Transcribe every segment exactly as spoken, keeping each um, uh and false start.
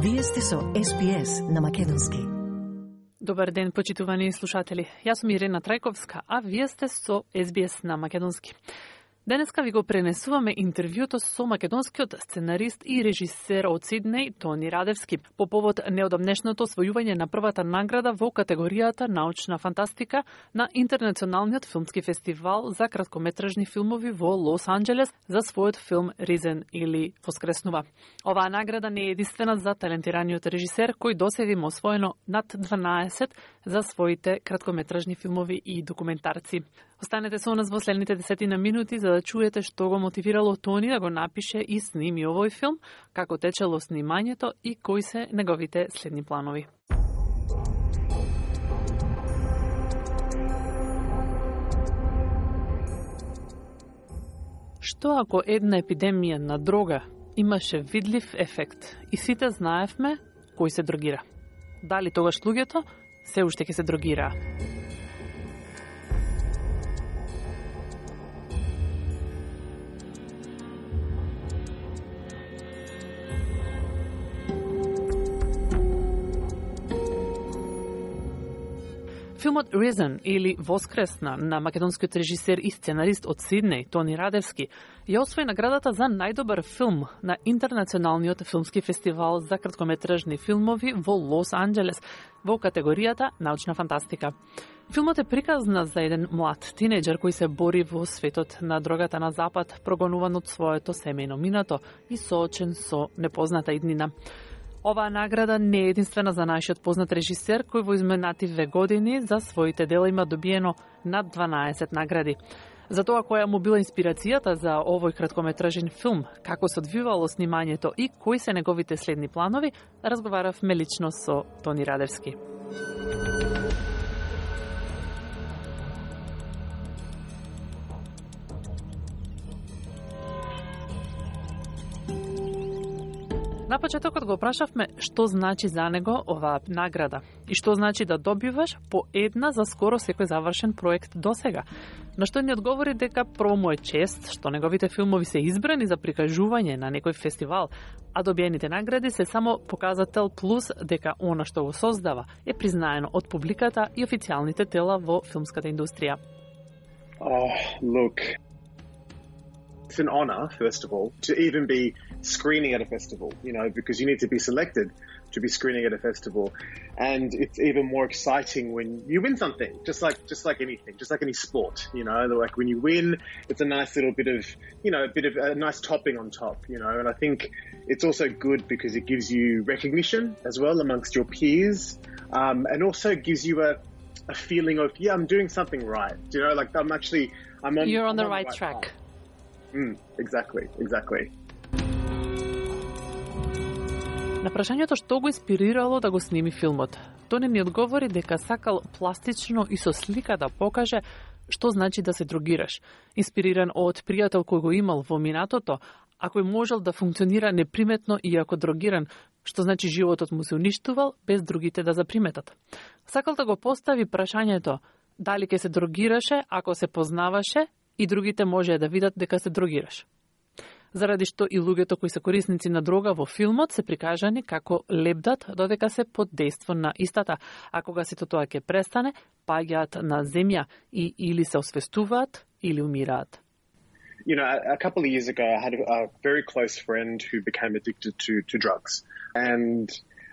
Вие сте со Ес Би Ес на македонски. Добар ден, почитувани слушатели. Јас сум Ирена Трајковска, а вие сте со Ес Би Ес на македонски. Денеска ви го пренесуваме интервјуто со македонскиот сценарист и режисер од Сиднеј Тони Радевски по повод неодамнешното освојување на првата награда во категоријата научна фантастика на Интернационалниот филмски фестивал за краткометражни филмови во Лос Анџелес за својот филм Ризен или Воскреснува. Оваа награда не е единствена за талентираниот режисер кој досега има освоено над дванаесет за своите краткометражни филмови и документарци. Останете со нас во следните десетина минути за да чуете што го мотивирало Тони да го напише и сними овој филм, како течело снимањето и кои се неговите следни планови. Што ако една епидемија на дрога имаше видлив ефект и сите знаевме кој се дрогира? Дали тогаш луѓето се уште ќе се дрогираа? Филмот Risen или Воскресна на македонскиот режисер и сценарист од Сиднеј Тони Радевски ја освои наградата за најдобар филм на Интернационалниот филмски фестивал за краткометражни филмови во Лос Анџелес во категоријата научна фантастика. Филмот е приказна за еден млад тинејџер кој се бори во светот на дрогата на запад, прогонуван од своето семејно минато и соочен со непозната иднина. Оваа награда не е единствена за нашиот познат режисер кој во изминати две години за своите дела има добиено над дванаесет награди. За тоа која му била инспирацијата за овој краткометражен филм, како се одвивало снимањето и кои се неговите следни планови, разговаравме лично со Тони Радевски. На почетокот го прашавме што значи за него оваа награда и што значи да добиваш по една за скоро секој завршен проект досега. На што ни одговори дека прво му е чест што неговите филмови се избрани за прикажување на некој фестивал, а добиените награди се само показател плюс дека она што го создава е признаено од публиката и официјалните тела во филмската индустрија. Oh, look. It's an honor, first of all, to even be screening at a festival, you know, because you need to be selected to be screening at a festival. And it's even more exciting when you win something, just like, just like anything, just like any sport, you know, like when you win, it's a nice little bit of, you know, a bit of a nice topping on top, you know, and I think it's also good because it gives you recognition as well amongst your peers, um, and also gives you a, a feeling of, yeah, I'm doing something right, you know, like I'm actually, I'm on, You're on I'm the on right, the right track. path. Mm, exactly, exactly. На прашањето што го инспирирало да го сними филмот, Тони ни одговори дека сакал пластично и со слика да покаже што значи да се дрогираш, инспириран од пријател кој го имал во минатото, а кој можел да функционира неприметно иако дрогиран, што значи животот му се уништувал без другите да заприметат. Сакал да го постави прашањето дали ќе се дрогираше ако се познаваше и другите можеа да видат дека се дрогираш. Заради што и луѓето кои се корисници на дрога во филмот се прикажани како лебдат додека се под дејство на истата, а кога сето тоа ќе престане, паѓаат на земја и или се освестуваат или умираат. You know, a, a couple of years ago, I had a, a very close friend who became addicted to, to drugs. And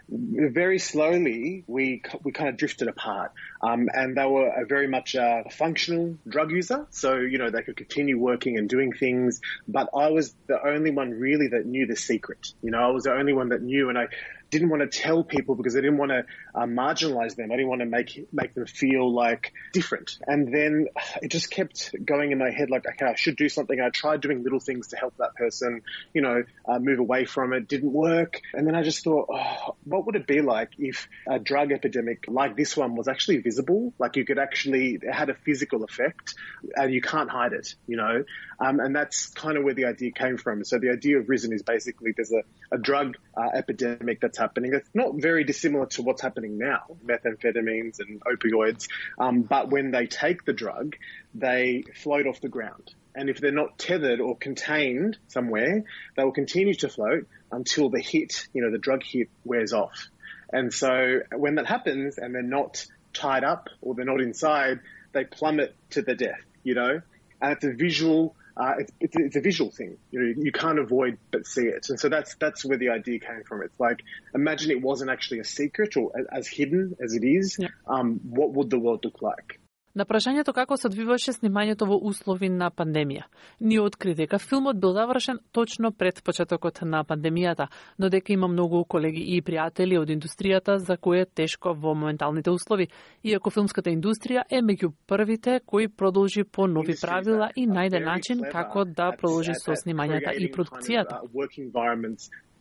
very slowly, we we kind of drifted apart. Um, and they were a very much a functional drug user. So, you know, they could continue working and doing things. But I was the only one really that knew the secret. You know, I was the only one that knew. And I didn't want to tell people because I didn't want to uh, marginalize them. I didn't want to make make them feel like different. And then it just kept going in my head like, okay, I should do something. I tried doing little things to help that person, you know, uh, move away from it. Didn't work. And then I just thought, oh, what would it be like if a drug epidemic like this one was actually visible? Like you could actually, it had a physical effect and you can't hide it, you know? Um, and that's kind of where the idea came from. So the idea of Risen is basically there's a, a drug uh, epidemic that's happening. That's not very dissimilar to what's happening now, methamphetamines and opioids. Um, but when they take the drug, they float off the ground. And if they're not tethered or contained somewhere, they will continue to float until the hit, you know, the drug hit wears off. And so when that happens and they're not tied up or they're not inside, they plummet to their death, you know. And it's a visual, uh, it's, it's, it's a visual thing. You know, you can't avoid but see it. And so that's that's where the idea came from. It's like, imagine it wasn't actually a secret or as hidden as it is. Yeah. Um, what would the world look like? На прашањето како се одвиваше снимањето во услови на пандемија, ние откри дека филмот бил завршен точно пред почетокот на пандемијата, но дека има многу колеги и пријатели од индустријата за кои е тешко во моменталните услови, иако филмската индустрија е меѓу првите кои продолжи по нови правила и најде начин како да продолжи со снимањата и продукцијата.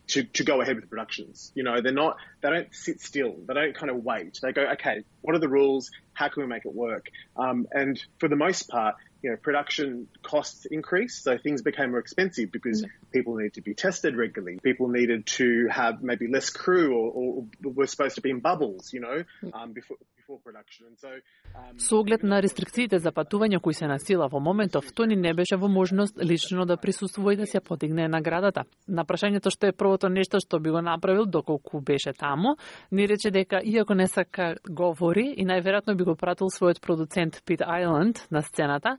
To, to go ahead with productions. You know, they're not, they don't sit still. They don't kind of wait. They go, okay, what are the rules? How can we make it work? Um, and for the most part, you know, production costs increased, so things became more expensive because mm-hmm. people needed to be tested regularly. People needed to have maybe less crew or, or were supposed to be in bubbles, you know, um, before, before production. And so, um, Со оглед на рестрикциите за патување кои се на сила во моментов, Тони не беше во можност лично да присуствува и да се подигне наградата. На прашањето што е првото нешто што би го направил доколку беше таму, ни рече дека иако не сака говори и најверојатно би го пратил својот продуцент Пит Айланд на сцената,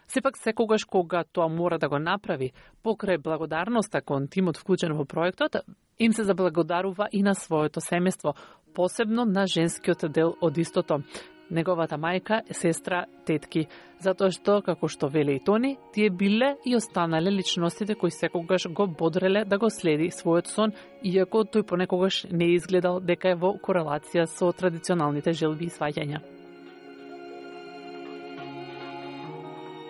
сепак секогаш кога тоа мора да го направи, покрај благодарноста кон тимот вклучен во проектот, им се заблагодарува и на своето семејство, посебно на женскиот дел од истото, неговата мајка, сестра, тетки, затоа што, како што веле и Тони, тие биле и останале личностите кои секогаш го бодреле да го следи својот сон, иако тој понекогаш не изгледал дека е во корелација со традиционалните желби и сваѓања.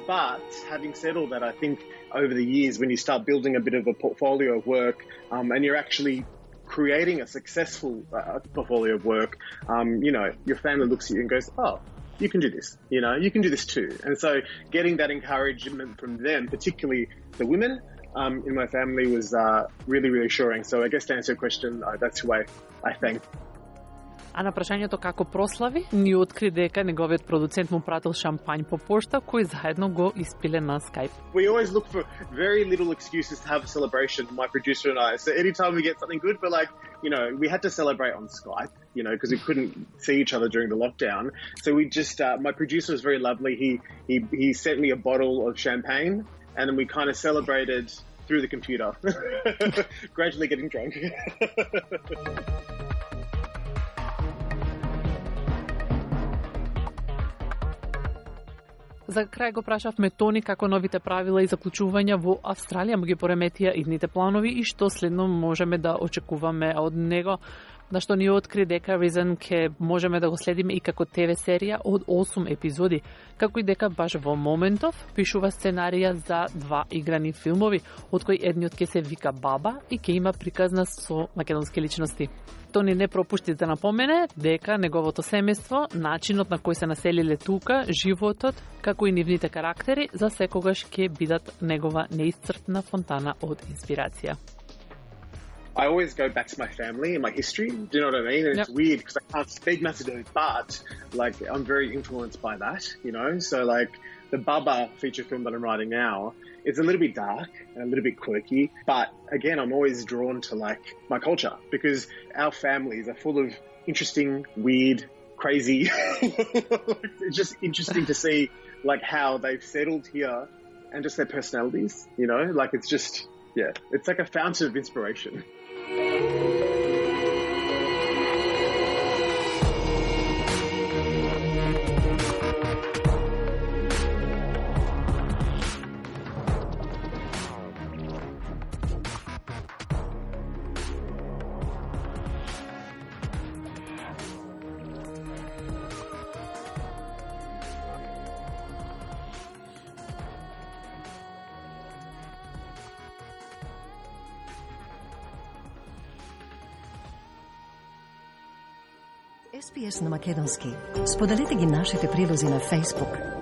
But having said all that, I think over the years, when you start building a bit of a portfolio of work, um, and you're actually creating a successful uh, portfolio of work, um, you know, your family looks at you and goes, oh, you can do this, you know, you can do this too. And so getting that encouragement from them, particularly the women um, in my family, was uh, really, really reassuring. So I guess to answer your question, uh, that's who I, I thank. А на прашањето како прослави, ни откри дека неговиот продуцент му пратил шампањ по пошта, кој заедно го испиле на Skype. We always look for very little excuses to have a celebration, my producer and I. So anytime we get something good, we're like, you know, we had to celebrate on Skype, you know, because we couldn't see each other during the lockdown. So we just, uh, my producer was very lovely. He, he, he sent me a bottle of champagne and then we kind of celebrated through the computer, gradually getting drunk. За крај го прашавме Тони како новите правила и заклучувања во Австралија му ги пореметија идните планови и што следно можеме да очекуваме од него, на што ни откри дека Risen ке можеме да го следиме и како Т В серија од осум епизоди, како и дека баш во моментов пишува сценарија за два играни филмови, од кои едниот ке се вика Баба и ке има приказна со македонски личности. Тони не пропушти да напомене дека неговото семејство, начинот на кој се населиле тука, животот, како и нивните карактери, за секогаш ќе бидат негова неисцрпна фонтана од инспирација. I always go back to my family and my history. Do you know what I mean? And yep. It's weird because I can't speak Macedonian, but like I'm very influenced by that, you know? So like the Baba feature film that I'm writing now, it's a little bit dark and a little bit quirky, but again, I'm always drawn to like my culture because our families are full of interesting, weird, crazy. It's just interesting to see like how they've settled here and just their personalities, you know? Like it's just, yeah, it's like a fountain of inspiration. Ес Би Ес на македонски. Споделете ги нашите прилози на Facebook.